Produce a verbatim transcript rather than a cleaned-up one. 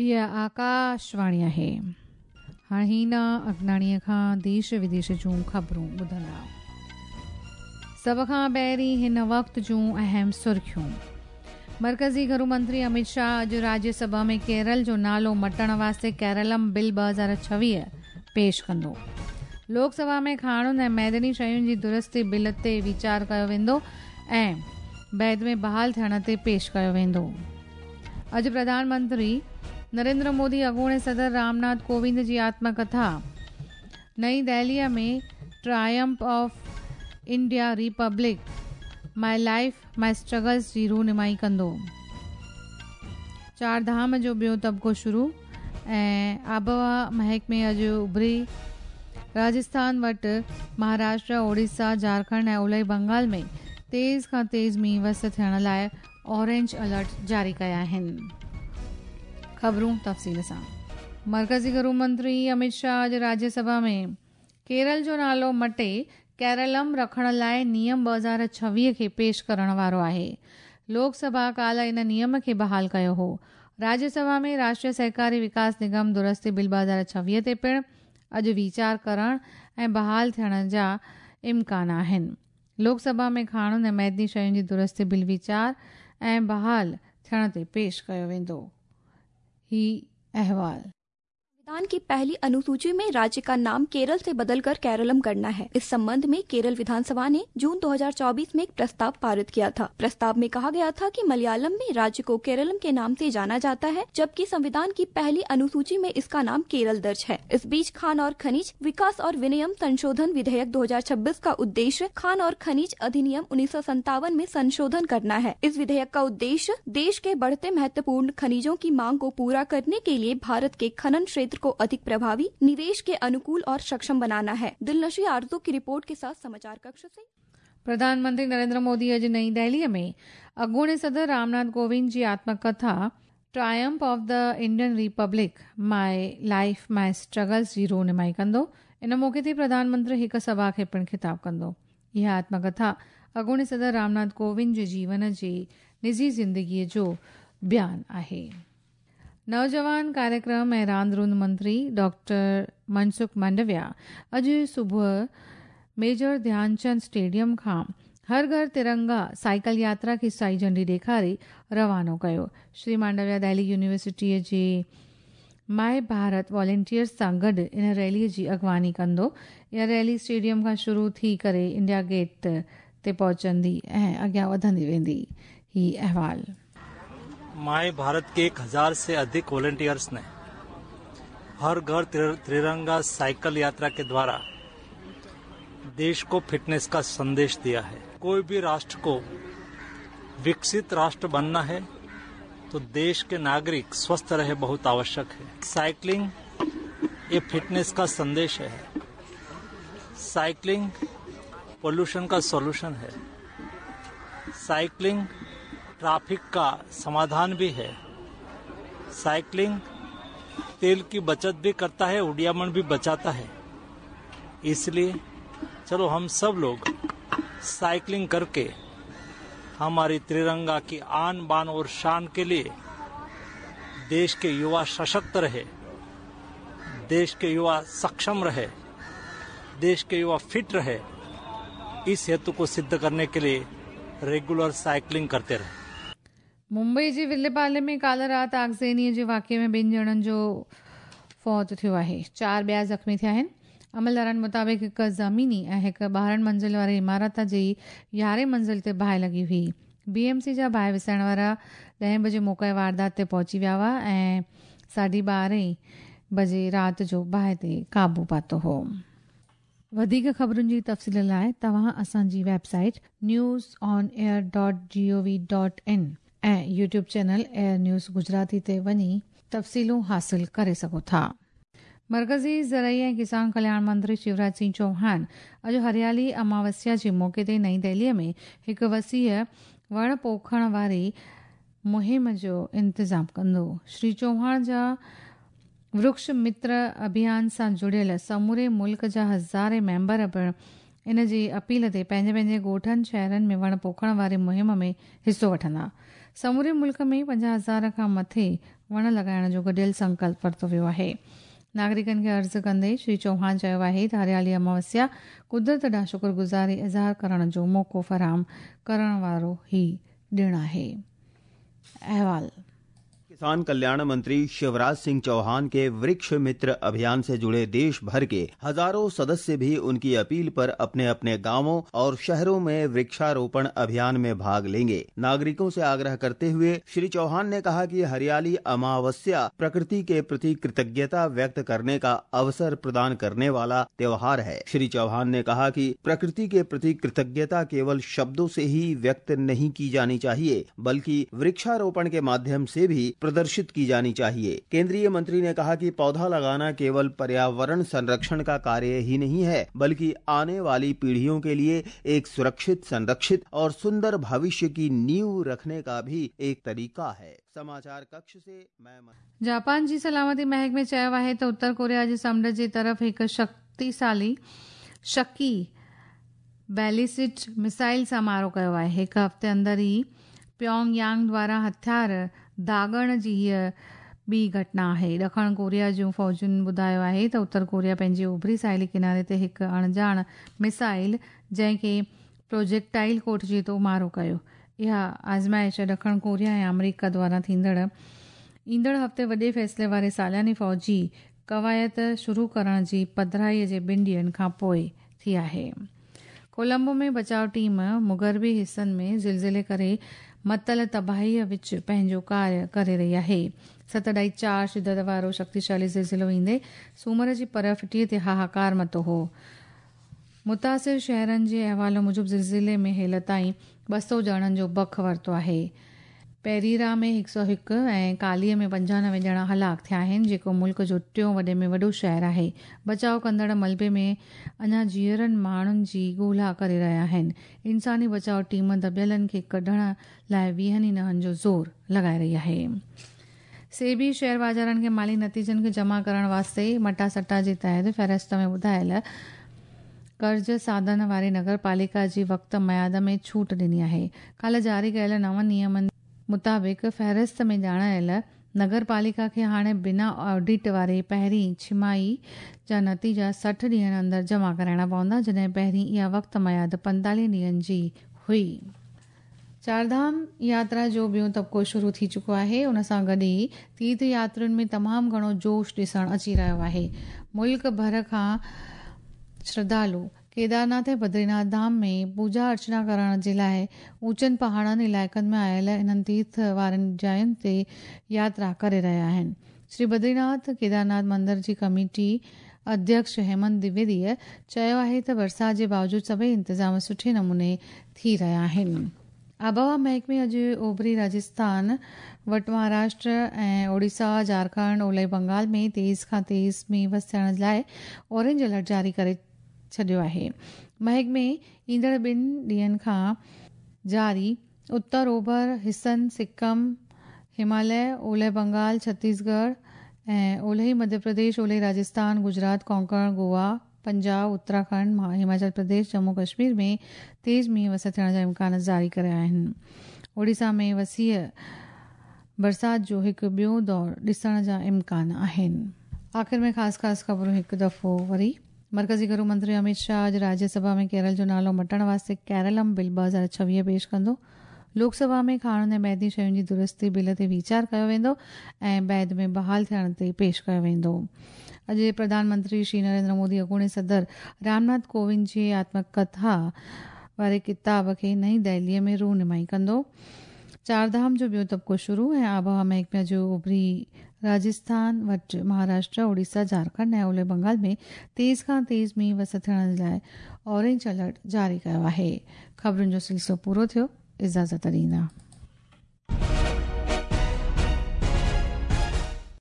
हीअ आकाशवाणी आहे। हाणे हीना अगनाणीअ खां देश विदेश जूं ख़बरूं ॿुधंदा। सभ खां पहिरीं हिन वक़्त जूं अहम सुर्खियूं। मर्कज़ी घरू मंत्री अमित शाह अॼु राज्यसभा में केरल जो नालो मटण वास्ते केरलम बिल ॿ हज़ार छवीह पेश कंदो। लोकसभा में खाणुनि ऐं मैदनी शयुनि जी दुरुस्ती बिल ते वीचार कयो वेंदो ऐं बैद में बहाल थियण ते पेश कयो वेंदो। अॼु प्रधानमंत्री नरेंद्र मोदी अॻूणे सदर रामनाथ कोविंद जी आत्मकथा नई दिल्लीअ में Triumph of India Republic my life my struggles जी रूनुमाई कंदो। चार धाम जो ॿियो तबिको शुरू ऐं आबहवा महकमे अॼु उभरी राजस्थान वटि महाराष्ट्र, ओडिशा, झारखंड ऐं उलही बंगाल में तेज़ खां तेज़ मींहुं वस थियण लाइ ऑरेंज अलर्ट जारी कया आहिनि। ख़बरूं तफ़सील सां। मर्कज़ी घरू मंत्री अमित शाह अॼु राज्यसभा में केरल जो नालो मटे केरलम रखण लाइ नियम ॿ हज़ार छवीह खे पेश करण वारो आहे। लोकसभा काल्ह इन नियम खे बहाल कयो हो। राज्यसभा में राष्ट्रीय सहकारी विकास निगम दुरुस्ती बिल ॿ हज़ार छवीह ते पिणु अॼु वीचार करण ऐं बहाल थियण जा इम्कान आहिनि। लोकसभा में खाणुनि ऐं मैदनी शयुनि जी दुरुस्ती बिल वीचार ऐं बहाल थियण ते पेश कयो वेंदो। ही अहवाल। संविधान की पहली अनुसूची में राज्य का नाम केरल से बदलकर केरलम करना है। इस संबंध में केरल विधानसभा ने जून दो हज़ार चौबीस में एक प्रस्ताव पारित किया था। प्रस्ताव में कहा गया था कि मलयालम में राज्य को केरलम के नाम से जाना जाता है, जबकि संविधान की पहली अनुसूची में इसका नाम केरल दर्ज है। इस बीच खान और खनिज विकास और विनियम संशोधन विधेयक दो हज़ार छब्बीस का उद्देश्य खान और खनिज अधिनियम उन्नीस सौ सत्तावन में संशोधन करना है। इस विधेयक का उद्देश्य देश के बढ़ते महत्वपूर्ण खनिजों की मांग को पूरा करने के लिए भारत के खनन क्षेत्र को अधिक प्रभावी, निवेश के अनुकूल और सक्षम बनाना है। दिलनशी आरजू की रिपोर्ट के साथ समाचार कक्ष से। प्रधानमंत्री नरेंद्र मोदी अॼु नई दिल्लीअ में अॻूणे सदर रामनाथ कोविंद जी आत्मकथा Triumph of the Indian Republic my life my struggles जी रूनुमाई कंदो। इन मौक़े ते प्रधानमंत्री हिकु सभा खे पिणु ख़िताब कंदो। इहा आत्मकथा अॻूणे सदर रामनाथ कोविंद जे जीवन जे निजी ज़िंदगीअ जो बयान आहे। नौजवान कार्यक्रम ऐं रांदि रूंदि मंत्री डॉक्टर मनसुख मांडविया अॼु सुबुह मेजर ध्यानचंद स्टेडियम खां हर घर तिरंगा साइकिल यात्रा खे साई झंडी ॾेखारे रवानो कयो। श्री मांडविया दिल्ली यूनिवर्सिटीअ जे my Bharat वॉलंटियर्स सां गॾु इन रैलीअ जी अॻवानी कंदो। इहा रैली स्टेडियम खां शुरू थी करे इंडिया गेट ते पहुचंदी ऐं अॻियां वधंदी वेंदी। ही अहवाल। My Bharat के एक हजार से अधिक वॉलंटियर्स ने हर घर त्रिरंगा साइकिल यात्रा के द्वारा देश को फिटनेस का संदेश दिया है। कोई भी राष्ट्र को विकसित राष्ट्र बनना है तो देश के नागरिक स्वस्थ रहे बहुत आवश्यक है। साइकिलिंग ये फिटनेस का संदेश है। साइकिलिंग पोल्यूशन का सॉल्यूशन है। साइकिलिंग ट्रैफिक का समाधान भी है। साइकिलिंग तेल की बचत भी करता है, उड़ियामण भी बचाता है। इसलिए चलो हम सब लोग साइकिलिंग करके हमारी त्रिरंगा की आन बान और शान के लिए देश के युवा सशक्त रहे, देश के युवा सक्षम रहे, देश के युवा फिट रहे, इस हेतु को सिद्ध करने के लिए रेगुलर साइकिलिंग करते रहे। मुंबई जे विले में काल्ह राति आगज़नीअ जे वाक़िए में ॿिनि ॼणनि जो फौत थियो आहे, चारि ॿिया ज़ख़्मी थिया आहिनि। अमलदारनि मुताबिक़ हिकु ज़मीनी ऐं हिकु ॿारहं मंज़िल वारी इमारत जी यारहें मंज़िल ते बाहि लॻी हुई। बी एम सी जा बाहि विसाइण वारा ॾहें बजे मौक़े वारदात ते पहुची विया हुआ ऐं साढे ॿारहें बजे राति जो बाहि ते क़ाबू पातो हो। वधीक ख़बरुनि जी तफ़सील लाइ तव्हां असांजी website news on air dot G O V dot in ऐं YouTube channel air news Gujarati ते वञी तफ़सीलूं हासिल करे सघो था। मर्कज़ी ज़रई ऐं किसान कल्याण मंत्री शिवराज सिंह चौहान अॼु हरियाली अमावस्या जे मौक़े ते नई दिल्लीअ में हिकु वसीअ वण पोखण वारी मुहिम जो इंतज़ाम कंदो। श्री चौहान जा वृक्ष मित्र अभियान सां जुड़ियल समूरे मुल्क जा हज़ारे मेंबर पिणु इन जी अपील ते पंहिंजे पंहिंजे ॻोठनि शहरनि में वण पोखण वारी मुहिम में हिसो वठंदा। समूरे मुल्क में पंजाह हज़ार खां मथे वण लॻाइण जो गॾियल संकल्प वरितो वियो आहे। नागरिकनि खे अर्ज़ु कंदे श्री चौहान चयो आहे त हरियाली अमावस्या कुदरत ॾांहुं शुक्रगुज़ारी इज़हार करण जो मौक़ो फराहम करण वारो ही ॾिण आहे। अहवाल। किसान कल्याण मंत्री शिवराज सिंह चौहान के वृक्ष मित्र अभियान से जुड़े देश भर के हजारों सदस्य भी उनकी अपील पर अपने अपने गांवों और शहरों में वृक्षारोपण अभियान में भाग लेंगे। नागरिकों से आग्रह करते हुए श्री चौहान ने कहा कि हरियाली अमावस्या प्रकृति के प्रति कृतज्ञता व्यक्त करने का अवसर प्रदान करने वाला त्योहार है। श्री चौहान ने कहा कि प्रकृति के प्रति कृतज्ञता केवल शब्दों से ही व्यक्त नहीं की जानी चाहिए, बल्कि वृक्षारोपण के माध्यम से भी प्रदर्शित की जानी चाहिए। केंद्रीय मंत्री ने कहा कि पौधा लगाना केवल पर्यावरण संरक्षण का कार्य ही नहीं है, बल्कि आने वाली पीढ़ियों के लिए एक सुरक्षित, संरक्षित और सुंदर भविष्य की नींव रखने का भी एक तरीका है। समाचार कक्ष से मैं जापान जी सलामती महकमे चयो आहे त उत्तर कोरिया जे समुंड जे तरफ़ हिकु शक्तिशाली शकी बैलिस्टिक मिसाइल सां मारो कयो आहे। हिकु हफ़्ते अंदरि ई प्योंगयांग द्वारा हथियार दाॻण जी हीअ ॿी घटना आहे। ॾखण कोरिया जूं फ़ौजुनि ॿुधायो आहे त उत्तर कोरिया पंहिंजी उभरी साहिली किनारे ते हिकु अणॼाण मिसाइल, जंहिंखे प्रोजेक्टाइल कोठिजे थो, मारो कयो। इहा आज़माइश ॾखण कोरिया ऐं आमेरिका द्वारा थींदड़ ईंदड़ हफ़्ते वॾे फ़ैसिले वारे सालानी फ़ौजी कवायत शुरू करण जी पधराईअ जे ॿिनि ॾींहंनि खां पोइ थी आहे। कोलंबो में बचाव टीम मुग़रबी हिसनि में ज़िलज़िले करे मतल तबाहीअ विच पंहिंजो कार्य करे रही आहे। सत अढाई चार शिदत वारो शक्तिशाली ज़िलज़िलो ईंदे सूमर जी पर फिटीअ ते हाहाकार मतो हो। मुतासिर शहरनि जे अहवाल मूजिबि ज़िलज़िले में हेल ताईं ॿ सौ ॼणनि जो बख वरितो आहे। पेरीरा में हिकु सौ हिकु ऐं कालीअ में पंजानवे ॼणा हलाक थिया आहिनि, जेको मुल्क जो टियों वॾे में वॾो शहर आहे। बचाव कंदड़ मलबे में अञा जीअरनि माण्हुनि जी ॻोल्हा करे रहिया आहिनि। इंसानी बचाव टीम दॿियलनि खे कढण लाइ वीहनि ई नहनि जो ज़ोर लॻाए रही आहे। सेबी शेयर बाज़ारनि खे माली नतीजनि खे जमा करण वास्ते मटासटा जे तहत फ़हरिस्त में ॿुधायल कर्ज़ साधन वारी नगर पालिका जी वक़्त मयाद में छूट ॾिनी आहे। काल्ह जारी कयल नवनि नियमनि मुताबिक़ फ़हरिस्त में ॼाणायल नगर पालिका खे हाणे बिना ऑडिट वारे पहिरीं छमाही जा नतीजा सठि ॾींहंनि अंदरि जमा कराइणा पवंदा, जॾहिं पहिरीं इहा वक़्त मयाद पंतालीह ॾींहंनि जी हुई। चारधाम यात्रा जो ॿियो तबिको शुरू थी चुको आहे। उन सां गॾु ई तीर्थ यात्रियुनि में तमामु घणो जोश ॾिसण अची रहियो आहे। मुल्क भर खां श्रद्धालु केदारनाथ ऐं बद्रीनाथ धाम में पूजा अर्चना करण जे लाइ ऊंचनि पहाड़नि इलाइक़नि में आयल इन्हनि तीर्थ वारनि जायुनि ते यात्रा करे रहिया आहिनि। श्री बद्रीनाथ केदारनाथ मंदिर जी कमेटी अध्यक्ष हेमंत द्विवेदीअ चयो आहे त बरसाति जे बावजूदि सभई इंतज़ाम सुठे नमूने थी रहिया आहिनि। आबहवा महकमे अॼु ओभरी राजस्थान वटि महाराष्ट्र ऐं ओडिशा, झारखंड, ओलह बंगाल में तेज़ खां तेज़ मींहुं वस थियण लाइ ऑरेंज अलर्ट जारी करे छॾियो आहे। महकमे ईंदड़ ॿिनि ॾींहंनि खां जारी उत्तर ओभर हिसनि सिक्किम, हिमालय, ओलह बंगाल, छत्तीसगढ़ ऐं ओलही मध्य प्रदेश, ओलही राजस्थान, गुजरात, कोंकण, गोवा, पंजाब, उत्तराखंड, हिमाचल प्रदेश, जम्मू कश्मीर में तेज़ मींहुं वस थियण जा इम्कान जारी कया आहिनि। ओडिशा में वसीअ बरसाति जो हिकु ॿियो दौर ॾिसण जा इम्कान आहिनि। आख़िर में ख़ासि ख़ासि ख़बरूं हिकु दफ़ो वरी। मरकज़ी घरू मंत्री अमित शाह अॼु राज्यसभा में केरल जो नालो मटण वास्ते केरलम बिल ॿ हज़ार छवीह पेश कंदो। लोकसभा में खाणनि ऐं बैदी शयुनि जी दुरुस्ती बिल ते वीचार कयो वेंदो ऐं बैद में बहाल थियण ते पेश कयो वेंदो। अॼु प्रधानमंत्री श्री नरेंद्र मोदी अॻूणे सदर रामनाथ कोविंद जी आत्मकथा वारे किताब खे नई दिल्लीअ में रूनुमाई कंदो। चारधाम जो ॿियो तबिको शुरू ऐं आबहवा महकमे जो उभरी राजस्थान वटि महाराष्ट्र, ओडिशा, झारखंड ऐं ओलह बंगाल में तेज़ खां तेज़ मींहुं वस थियण लाइ ऑरेंज अलर्ट जारी कयो आहे। ख़बरुनि जो सिलसिलो पूरो थियो। इजाज़त ॾींदा।